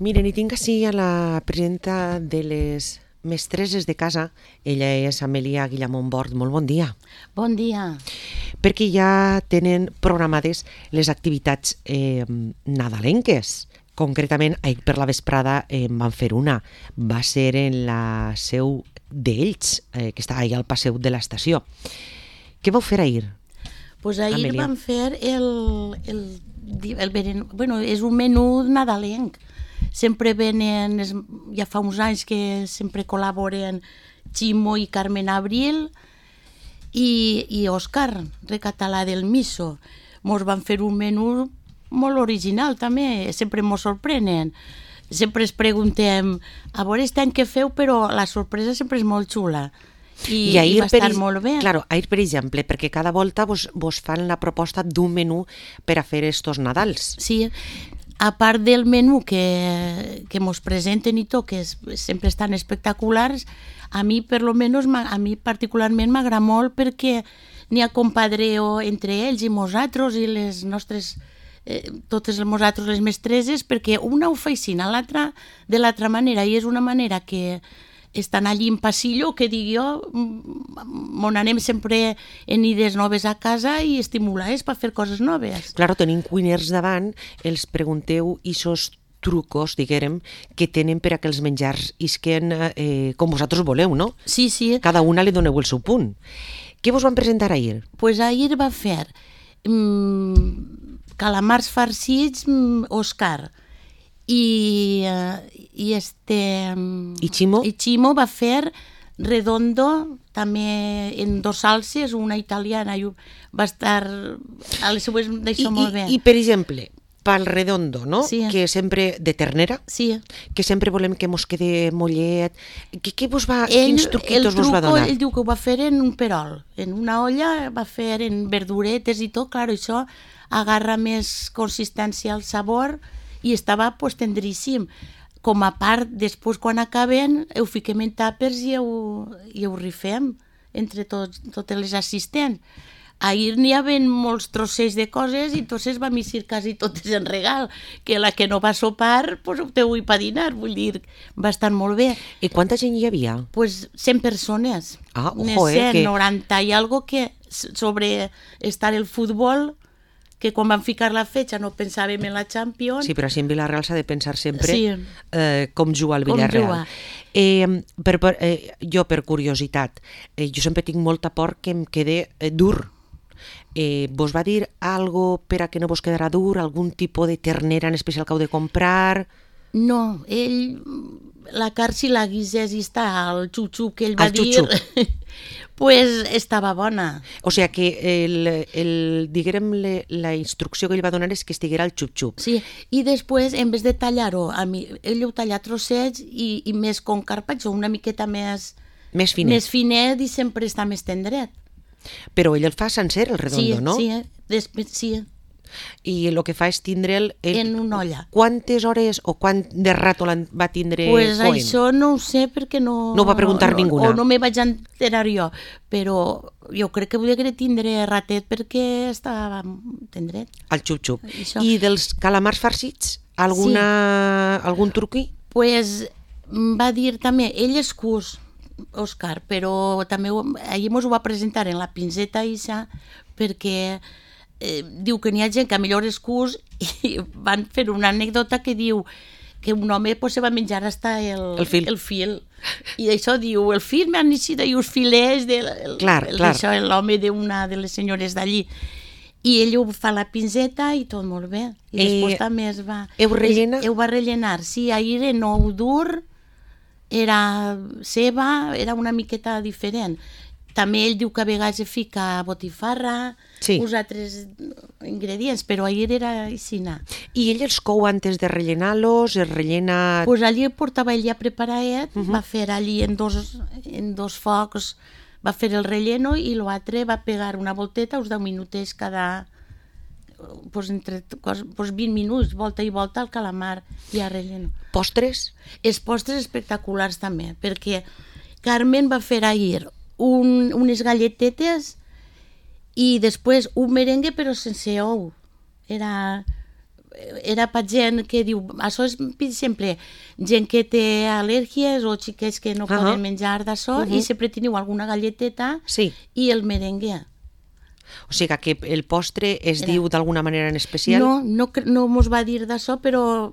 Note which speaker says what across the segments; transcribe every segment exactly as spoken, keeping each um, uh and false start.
Speaker 1: Miren, i tinc així a la presidenta de les mestreses de casa. Ella és Amèlia Guillamón Bort. Molt bon dia.
Speaker 2: Bon dia.
Speaker 1: Perquè ja tenen programades les activitats eh, nadalenques. Concretament, ahir per la vesprada eh, van fer una. Va ser en la seu d'Ells, eh, que està ahir al Passeig de l'Estació. Què vau fer ahir?
Speaker 2: Pues ahir
Speaker 1: Amèlia.
Speaker 2: vam fer el, el, el, el... Bueno, és un menú nadalenc. Sempre venen, ja fa uns anys que sempre col·laboren Ximo i Carmen Abril i, i Òscar, recatalà del Miso. Mos van fer un menú molt original també, sempre mos sorprenen. Sempre es preguntem, a veure aquest any què feu, però la sorpresa sempre és molt xula. I,
Speaker 1: I ahir,
Speaker 2: i va estar
Speaker 1: per,
Speaker 2: molt bé.
Speaker 1: Claro, ahir, per exemple, perquè cada volta vos, vos fan la proposta d'un menú per a fer estos Nadals.
Speaker 2: Sí, a part del menú que, que mos presenten i tot, que és, sempre estan espectaculars, a mi, per lo menos, a mi particularment m'agrada molt perquè n'hi ha compadreo entre ells i nosaltres i les nostres, eh, totes nosaltres les mestreses, perquè una ho fa així, l'altra de l'altra manera, i és una manera que estan allí en passillo, que dic jo, on anem sempre en idees noves a casa i estimulades per fer coses noves.
Speaker 1: Claro, tenim cuiners davant, els pregunteu ixos trucos, diguérem, que tenen per a que els menjars isquen eh, com vosaltres voleu, no?
Speaker 2: Sí, sí.
Speaker 1: Cada una li doneu el seu punt. Què vos van presentar ahir?
Speaker 2: Pues ahir va fer mmm, calamars farcits, mmm, Òscar, i, uh, i este
Speaker 1: I Ximo?
Speaker 2: i Ximo va fer redondo també en dos salses, una italiana i va estar a les seues d'això
Speaker 1: I,
Speaker 2: molt bé.
Speaker 1: I, i per exemple, pel redondo, no?
Speaker 2: Sí.
Speaker 1: Que sempre de ternera,
Speaker 2: Sí.
Speaker 1: que sempre volem que mos quede mollet. Que, que vos va,
Speaker 2: Ell,
Speaker 1: quins truquitos vos va
Speaker 2: truco,
Speaker 1: donar?
Speaker 2: ell diu que ho va fer en un perol, en una olla, va fer en verduretes i tot, clar, això agarra més consistència al sabor i estava pues, tendríssim. Com a part, després quan acaben, ho fiquem en tàpers i ho, i ho rifem entre tots, totes les assistents. Ahir n'hi havia molts trossets de coses i entonces vam eixir quasi totes en regal, que la que no va sopar, pues ho té avui per dinar, vull dir, va estar molt bé.
Speaker 1: I quanta gent hi havia?
Speaker 2: Pues cent persones.
Speaker 1: Ah, ojo,
Speaker 2: Unes
Speaker 1: eh,
Speaker 2: cent,
Speaker 1: que-
Speaker 2: noranta i algo que sobre estar el futbol, que quan van ficar la fetge no pensàvem en la Champions.
Speaker 1: Sí, però així en Vila-real s'ha de pensar sempre
Speaker 2: Sí.
Speaker 1: eh, com juga al
Speaker 2: Com
Speaker 1: Villarreal.
Speaker 2: juga.
Speaker 1: Eh, per, per, eh, jo, per curiositat, eh, jo sempre tinc molta por que em quede eh, dur. Eh, vos va dir algo per a que no vos quedarà dur? Algun tipus de ternera en especial que heu de comprar?
Speaker 2: No, ell, la carn si la guisés i està al xup-xup que ell va
Speaker 1: Al
Speaker 2: dir,
Speaker 1: xup-xup.
Speaker 2: pues estava bona.
Speaker 1: O sigui que el, el, diguérem, le, la instrucció que ell va donar és que estiguera al xup-xup.
Speaker 2: Sí, i després, en vez de tallar-ho, a mi, ell ho talla a trossets i, i més com carpaccio, una miqueta més,
Speaker 1: Més finet.
Speaker 2: més finet i sempre està més tendret.
Speaker 1: Però ell el fa sencer, el redondo,
Speaker 2: sí,
Speaker 1: no?
Speaker 2: Sí, després, sí,
Speaker 1: I el que fa és tindre'l... Eh,
Speaker 2: en una olla.
Speaker 1: Quantes hores o quant de rato l'en va tindre
Speaker 2: Pues
Speaker 1: coent?
Speaker 2: això no ho sé perquè no...
Speaker 1: No ho va preguntar
Speaker 2: no,
Speaker 1: ninguna.
Speaker 2: O no me vaig enterar jo, però jo crec que volia tindre ratet perquè estava tendret.
Speaker 1: Al xup-xup.
Speaker 2: Això.
Speaker 1: I dels calamars farcits, alguna, algun truqui?
Speaker 2: Pues em va dir també, ell és cus, Òscar, però també ho- ahir mos ho va presentar en la pinzeta Isa perquè eh, diu que n'hi ha gent que a millor és cus i van fer una anècdota que diu que un home pues, se va menjar hasta el,
Speaker 1: El fil.
Speaker 2: el fil. I això diu, el fil m'han eixit i uns filets de, el,
Speaker 1: Clar,
Speaker 2: el,
Speaker 1: clar.
Speaker 2: Això, l'home d'una de les senyores d'allí. I ell ho fa a la pinzeta i tot molt bé. I
Speaker 1: Eh,
Speaker 2: després també es va...
Speaker 1: heu rellenar?
Speaker 2: Es, ho va rellenar, sí, ahir era nou dur, era ceba, era una miqueta diferent. També ell diu que a vegades fica botifarra,
Speaker 1: Sí.
Speaker 2: uns altres ingredients, però ahir era aixina.
Speaker 1: I ell els cou antes de rellenar-los, es rellena...
Speaker 2: Pues allí portava ell ja preparat, uh -huh. va fer allí en dos, en dos focs, va fer el relleno i l'altre va pegar una volteta, uns deu minutets cada... Pues entre pues vint minuts, volta i volta, el calamar i el relleno.
Speaker 1: Postres?
Speaker 2: Els postres espectaculars també, perquè Carmen va fer ahir un, unes galletetes i després un merengue però sense ou. Era era per gent que diu, això és, per exemple, gent que té al·lèrgies o xiquets que no
Speaker 1: uh-huh.
Speaker 2: poden menjar d'això, uh-huh. i sempre teniu alguna galleteta
Speaker 1: sí.
Speaker 2: i el merengue.
Speaker 1: O sigui que el postre es
Speaker 2: Era.
Speaker 1: diu d'alguna manera en especial?
Speaker 2: No, no, no mos va dir d'això, però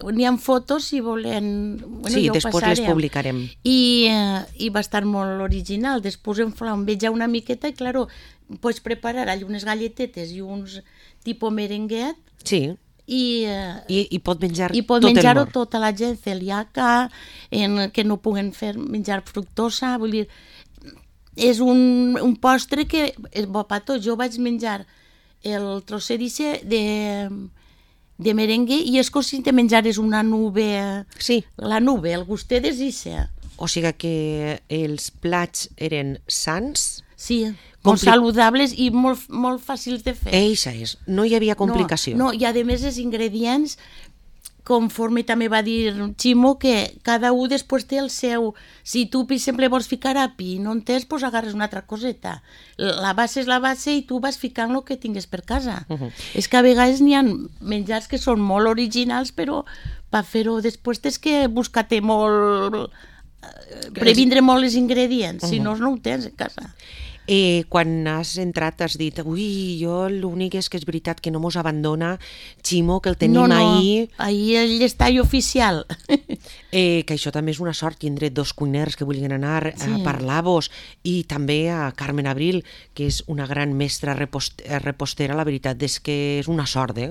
Speaker 2: n'hi ha fotos si volen... Bueno,
Speaker 1: sí,
Speaker 2: ja
Speaker 1: després les publicarem.
Speaker 2: I, eh, I va estar molt original. Després em fa un veig una miqueta i, claro, pots preparar unes galletetes i uns tipus merenguet.
Speaker 1: Sí.
Speaker 2: I, eh,
Speaker 1: I, i pot menjar
Speaker 2: i pot
Speaker 1: tot
Speaker 2: menjar-ho
Speaker 1: el món.
Speaker 2: tota la gent celíaca, en, que no puguen fer menjar fructosa, vull dir, és un, un postre que és bo per tots. Jo vaig menjar el trosset de, de merengue i és com si te menjares una nube,
Speaker 1: sí.
Speaker 2: la nube, el gustet és ixe.
Speaker 1: O sigui que els plats eren sans?
Speaker 2: Sí, molt
Speaker 1: Compli...
Speaker 2: saludables i molt, molt fàcils de fer.
Speaker 1: Eixa és, no hi havia complicació.
Speaker 2: No, no, i a més els ingredients, conforme també va dir Ximo, que cada un després té el seu... Si tu, per exemple, vols ficar api i no en tens, doncs agarres una altra coseta. La base és la base i tu vas ficant el que tingues per casa. Uh-huh. És que a vegades n'hi ha menjars que són molt originals, però per fer-ho després tens que buscar-te molt... previndre molt els ingredients, uh-huh. si no, no ho tens a casa.
Speaker 1: Eh, quan has entrat has dit, ui, jo l'únic és que és veritat que no mos abandona Ximo, que el tenim
Speaker 2: no, no,
Speaker 1: ahir.
Speaker 2: Ahir ell està ahí oficial.
Speaker 1: eh, que això també és una sort, tindre dos cuiners que vulguin anar sí. a parlar-vos, i també a Carmen Abril, que és una gran mestra repost repostera, la veritat és que és una sort, eh?